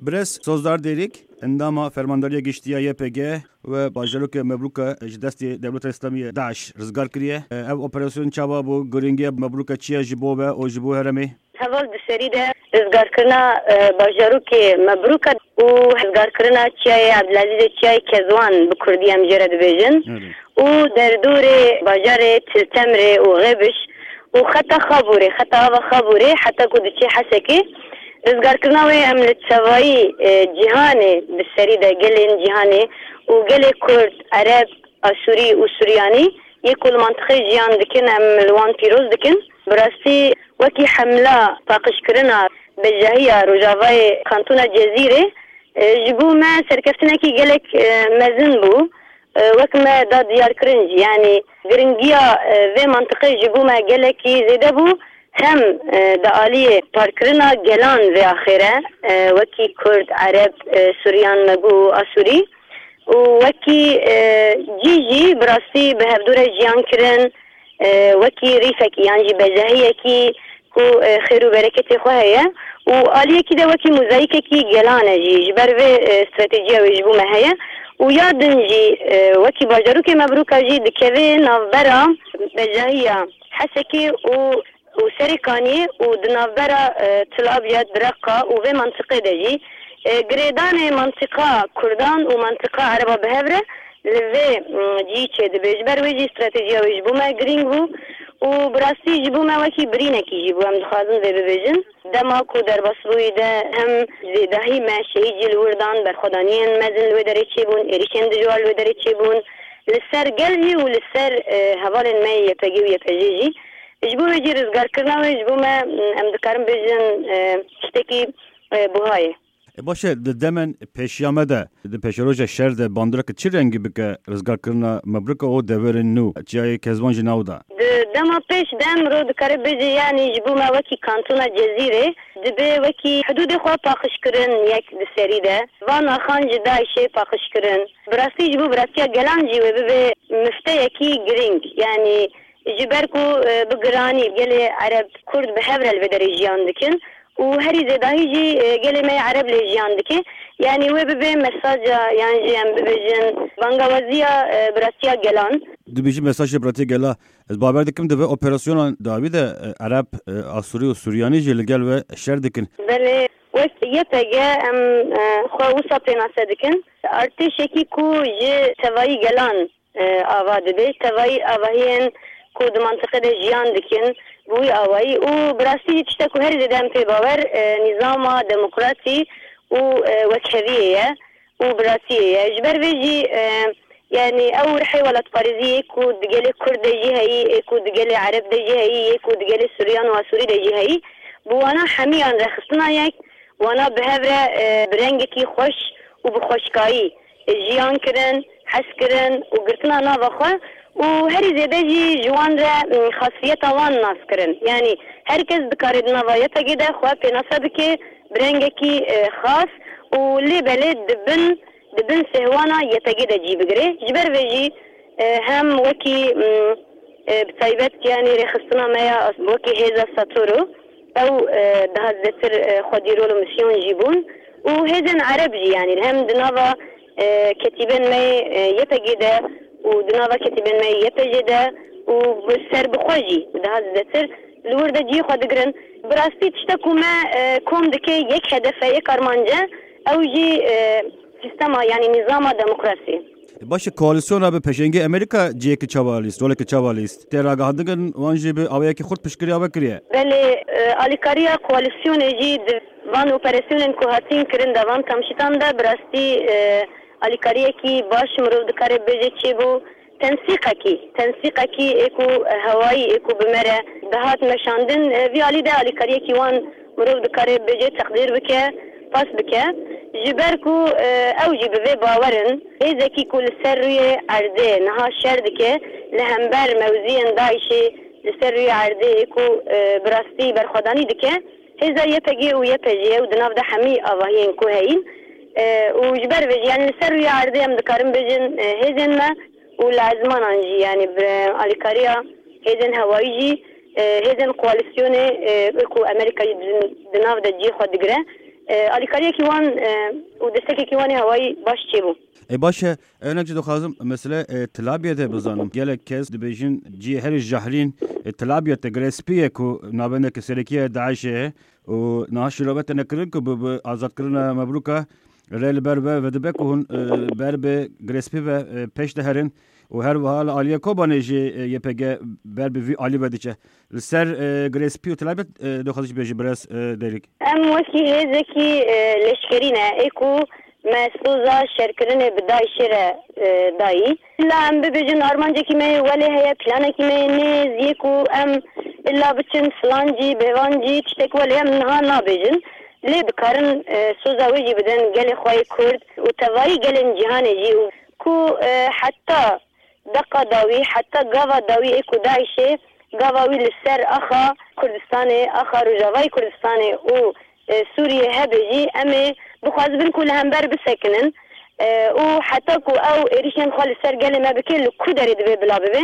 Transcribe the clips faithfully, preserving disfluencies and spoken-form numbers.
Birêz Sozdar Dêrîk, endama Fermandariya Giştî ya Y P G we bajarokê Mebrûka ji destê Dewleta Îslamî ya DAIŞ rizgar kiriye. Ev operasyon çawa bû? Girîngiya Mebrûka çi ye ji bo we û ji bo herêmê? Heval di serî de rizgarkirina, e, bajarokê Mebrûka û rizgarkirina çiyayê Ebdilezîzê, çiyayê Kezwan bi kurdî em jê re dibêjin. Erê. Û derdorê bajarê Til Temrê û Xêbiş û xeta Xabûrê, xeta ava Xabûrê heta ku diçe Hesekê. Rizgarkirina wê em li tevayî, e, cîhanê bi serî de gelên cîhanê û gelê Kurd, Ereb, Asûrî û Suryanî yê ku li mantiqê jiyan dikin, em li wan pîroz dikin. Bi rastî wekî hemla paqijkirina bejahiya rojavayê kantona Cezîrê, e, ji bo me serkeftinekî gelek, e, mezin bû. E, wek me da diyarkirin jî, yanî giringiya, e, vê mantiqê ji bo me gelekî zêde bû. Hem, e, di aliyê parkirina gelan vê axê re, e, wekî Kurd, Ereb, e, Suryan, Megû û Asûrî û wekî, e, cî jî bi rastî bi hevdû re jiyan kirin, e, wekî rîfekî yan jî bejahiyekî ku, e, xêr û bereketê xwe heye û aliyekî de wekî mozayîkekî gelan e jî, ji ber vê, e, stratejiya wê ji bo me heye û ya din jî, e, wekî bajarokê Mebrûka jî dikeve navbera bejahiya Hesekê û û Serê Kaniyê û di navbera, e, Til Abyad, Reqa û vê mantiqê de jî, e, girêdanê mantiqa Kurdan û mantiqa Ereba bi hev re li vê, m, cihî çêdibe. Ji ber wê jî stratejiya wê ji bo me girîng bû û bi rastî ji bo me wekî birînekî jî bû, em dixwazin vê bibêjin. Dema ku derbas bûyî de hem zêdahî me şehîd jî li wir dan, berxwedaniyên mezin li wê derê çêbûn, êrîşên dijwar li wê derê çêbûn. Li ser gel jî û li ser, e, hevalên me yê Y P G û Y P J jî. Ji bo wê jî rizgarkirina wê ji bo me, em dikarin bêjin, e, tiştekî, e, buha ye. E, baş e, di demên pêşiya me de, di pêşeroja şer de bandoreke çi rengî bike rizgarkirina Mebrûka û deverên nû, çiyayê Kezwan ji nav da? Di dema pêş de mirov dikare bêje, yanî ji bo me wekî kantona Cezîrê dibe wekî hidûdê xwe paqij kirin yek di serî de. Van axan ji DAIŞê paqij kirin. Bi rastî ji bo bi rastiya gelan jî wê bibe mifteyekî girîng. Yanî ji ber ku, e, bi giranî gelê Ereb, Kurd bi hev re li vê derê jiyan dikin û herî zêdahî jî, e, gelê me yê Ereb lê jiyan dike. Yanî wê bibe mesaja yan jî em bibêjin bangawaziya, e, bi rastiya gelan. Dibêjî mesajê bi rastiya gela. Ez bawer dikim di vê operasyona dawî de, e, Ereb, e, Asûrî û Suryanî jî li gel we şer dikin. Belê, wek Y P G em, e, xwe wisa pênase dikin. Artêşekî ku ji tevayî gelan, e, ava dibe, tevayî avahiyên ku di mantiqê de jiyan dikin, bi wî awayî û bi rastî jî tiştek ku herî zêde em pê bawer, e, nîzama demokrasî û, e, wekheviyê ye û biratiyê ye. Ji ber vê jî, e, yanî ew rihê welatparêzî yê ku di gelê Kurd de jî heyî, yê ku di gelê Ereb de jî heyî, yê ku di gelê Suryan û Asûrî de jî heyî, bi wana hemiyan rêxistina yek, wana bi hev re, e, bi rengekî xweş û bi xweşkayî, e, jiyan kirin, hez kirin û girtina nava xwe û herî zêde jî ji wan re, m, xasiyeta wan nas kirin. Yanî her kes dikare di nava Y P G de xwe pênase bike bi rengekî, e, xas û lê belê di bin, di bin sêhwana Y P G de cî bigire. Ji ber vê jî, e, hem wekî, m, e, bi taybet, yanî rêxistina me ya wekî hêza Satoro, ew, e, daha zêdetir, e, xwedî rol û misyon jî bûn û hêzên Ereb jî, yanî hem di nava, e, ketîbên me yê, e, Y P G de û di nava ketîbên me yê Y P J de û bi serbixwe jî daha zêdetir li wir de cihê xwe digirin. Bi rastî tiştek ku me, e, kom dike yek hedef e, yek armanc e, ew jî, e, sîstema, yanî nîzama demokrasî. Baş e, koalîsyona bi pêşengê Amerîka cihekî çawa lîst, rolekî çawa lîst? Tê ragihandin wan jî bi awayekî xurt piştgiriya we kiriye? Belê, e, alîkariya koalîsyonê jî di van operasyonên ku hatin kirin de, van kamşitan de bi rastî, e, alîkariyekî baş mirov dikare bêje çêbû. Tensîqekî, tensîqekî ê ku hewayî ê ku bi me re dihat meşandin, e, vî alî de alîkariyekî wan mirov dikare bêje teqdîr bike, pas bike. Ji ber ku, e, ew jî bi vê bawer in, hêzekî ku li ser rûyê erdê niha şer dike, li hember mewziyên DAIŞê li ser rûyê erdê ê ku, e, bi rastî berxwedanî dike, hêza Y P G û Y P J û di nav de hemî avahiyên ku heyîn, e, û ji ber vê jî, yanî li ser rûyê erdê em dikarin bêjin, e, hêzên me û li ezmanan jî, yanî bi alîkariya hêzên hewayî jî, e, hêzên koalîsyonê, e, ku Amerîka jî di, di nav de cihê xwe digire, E, alîkariyekî wan, e, û destekekî wan ê hewayî baş çêbû. E, baş e, hinek jî dixwazim mesele, e, Tilabiyê de bizanim. Gelek kes dibêjin cihê herî jehrîn, e, Tilabiyê te Girê Spî ye ku navendeke serekî ye DAIŞê ye û niha şîrove têne kirin ku bi, bi azadkirina Mebrûka re li ber ve vedibe ku hûn, e, ber bi Girê Spî ve, e, pêş diherin û her wiha li aliyê Kobanê jî, e, Y P G ber bi vî alî ve diçe. Li ser, e, Girê Spî û Tilabiyê, e, dixwazî jî bêjî birêz, e, Dêrîk. Em wekî hêzekî, e, leşkerî ne, ê ku me soza şerkirinê bi DAIŞê re, e, dayî. La em bibêjin armancekî me yê welê heye, planekî me yê nêz yê ku em illa biçin filan cî, bêvan cî, tiştek welê em niha nabêjin. Lê dikarin, e, soza wê jî bidin gelê xwe yê Kurd û tevayî gelên cîhanê jî û ku, e, heta deqa dawî, heta gava dawî ê ku DAIŞê gava wî li ser axa Kurdistanê, axa Rojavayê Kurdistanê û, e, Sûriyê hebe jî em ê bixwazibin ku li hember bisekinin, e, û heta ku ew êrişên xwe li ser gelê me bike, li ku derê divê bila bibe,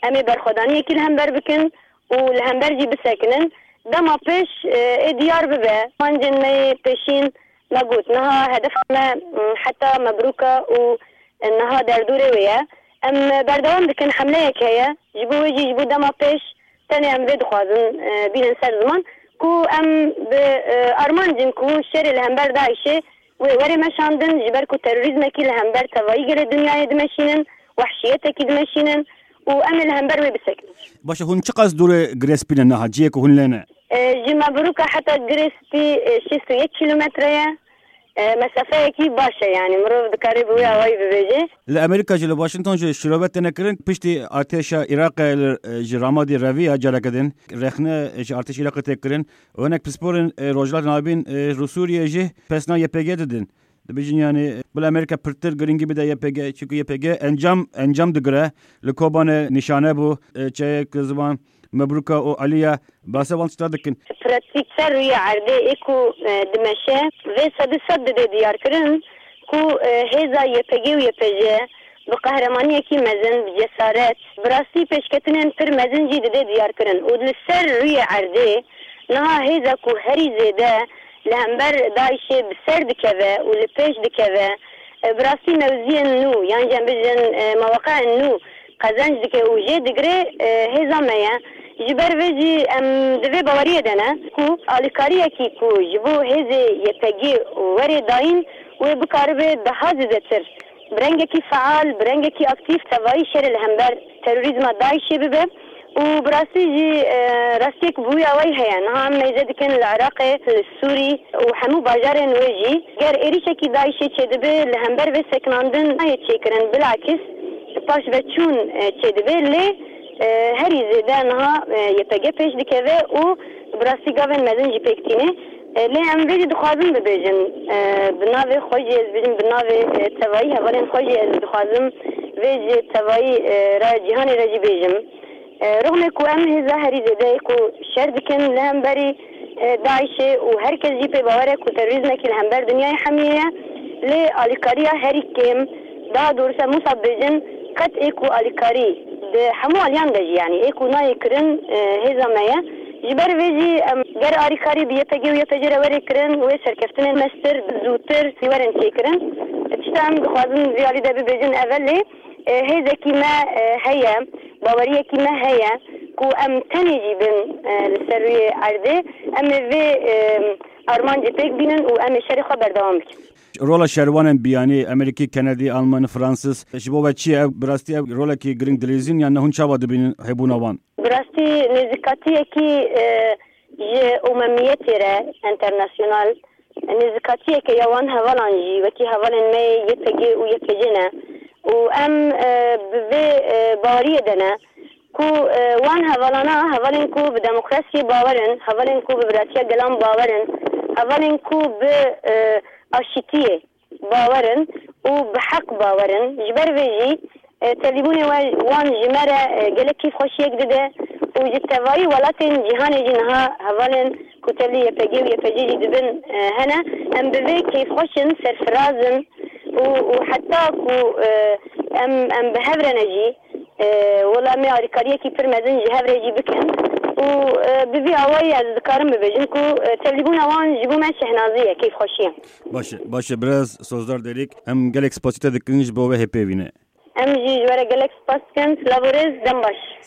em ê berxwedaniyekî li hember bikin û li hember jî bisekinin. Dema pêş, e, ê diyar bibe. Mancên me yê pêşîn me got, niha hedef me, m, heta Mebrûka û niha derdorê wê ye. Em berdewam dikin, hemleyek heye. Ji bo wê jî, ji bo dema pêş tenê em vê dixwazin, e, bînin ser ziman ku em bi, e, armanc in ku şerê li hember DAIŞê wê were meşandin, ji ber ku terorîzmekî li hember tevayî gelê dinyayê dimeşînin, wehşiyetekî dimeşînin û em ê li hember wê bisekinin. Baş e, hûn çiqas dûrê Girê Spî ne niha, cihê ku hûn lê ne? E, ji Mebrûka heta Girê Spî, e, şêst û yek kîlometre ye. E, mesafeyekî baş e, yanî mirov dikare bi wê awayî bibêje. Li Amerîka jî, li Washington jî şîrove têne kirin, piştî artêşa Iraqê li, e, ji Ramadî revî ya careke din rexne ji artêşa Iraqê tê kirin. Û hinek pisporên, e, Rojhilata Navîn, e, li Sûriyê jî pesna Y P G didin. Dibêjin, yanî, bila Amerîka pirtir girîngî bide Y P G, çunku Y P G encam, encam digire. Li Kobanê nîşane bû, e, çeyek ziman Mebrûka û Alî ya, behsa wan tişta dikin. Pratîk ser rûyê erdê ê ku, e, dimeşe, vê sedî sed dide diyarkirin ku, e, hêza Y P G û Y P J bi qehremaniyekî mezin, bi cesaret, bi rastî pêşketinên pir mezin jî dide diyarkirin û li ser rûyê erdê niha hêza ku herî zêde li hember DAIŞê bi ser dikeve û li pêş dikeve, e, bi rastî mewziyên nû, yan jî em bijin, e, meweqeên nû qezenc dike û jê digire, e, hêza me ye. Ji ber vê jî em di vê baweriyê de ne ku alîkariyekî ku ji bo hêzê Y P G were dayîn, wê bikaribe daha zêdetir bi rengekî feal, bi rengekî aktîf tevayî şerê li hember terorîzma DAIŞê bibe. Û bi rastî jî, e, rastiyek bi wî awayî heye. Niha em mêze dikin li Iraqê, li Sûrî û hemû bajarên wê jî. Ger êrişekî DAIŞê çêdibe, li hember vê sekinandin nayê çêkirin, bilakis paşveçûn, e, çêdibe. Lê, e, herî zêde niha, e, Y P G pêş dikeve û bi rastî gavên mezin jî pêk tîne. E, lê em vê jî dixwazin bibêjin, e, bi navê xwe jî ez bêjim, bi navê, e, tevayî hevalên xwe jî ez dixwazim vê ji tevayî, e, re cîhanê re jî bêjim. E, rixmê ku em hêza herî zêde yê ku şer dikin li hemberî, e, DAIŞê û her kes jî pê bawer e ku terorîzmekî li hember dinyayê hemiyê ye. Lê alîkariya herî kêm, daha doğrusu em wisa bêjin, qet ê ku alîkarî di hemû aliyan de jî, yanî ê ku nayê kirin, e, hêza me ye. Ji ber vê jî em ger alîkarî bi Y P G û Y P J re were kirin, wê serkeftinên mestir, zûtir werin çêkirin. Tişta em dixwazin vî alî de bibêjin ev e, lê, e, hêzekî me, e, heye, baweriyekî me heye ku em tenê jî bin, e, li ser rûyê erdê, em ê vê, e, armancê pêk bînin û em ê şerê xwe berdewam bikin. Rola şervanên biyanî, Amerîkî, Kenedî, Alman, Fransîz, ji bo we çi ye? Ev bi rastî ev rolekî girîng dilîzîn, yan ne hûn çawa dibînin hebûna wan? Bi rastî nêzîkatiyekî, e, ji umemiyetê re, enternasyonal, nêzîkatiyeke ya wan hevalan jî wekî hevalên me yê Y P G û Y P J ne û em, e, bi vê, e, baweriyê de ne ku, e, wan hevalana, hevalên ku bi demokrasiyê bawer in, hevalên ku bi biratiya gelan bawer in, hevalên ku bi, e, aşîtiyê bawer in û bi heq bawer in. Ji ber vê jî, e, tevlîbûnê we, wan ji me re, e, gelek kêfxweşiyek dide û ji tevayî welatên cîhanê jî niha hevalên ku tevlî Y P G û Y P J jî dibin, e, hene. Em bi vê kêfxweş in, serfiraz in û, û heta ku, e, em, em bi hev re ne jî, e, wela em ê alîkariyekî pir mezin ji hev re jî bikin û Û e, bi vî awayî ez dikarim bibêjim ku e, tevlîbûna wan ji bo me şehnazî ye, keyfxweşî ye. Baş e, baş e, biraz Sozdar Derîk, em gelek spasî te dikin ji bo vê hêpêvînê. Em jî ji we re gelek spas dikin. Silav û rêz, dem baş.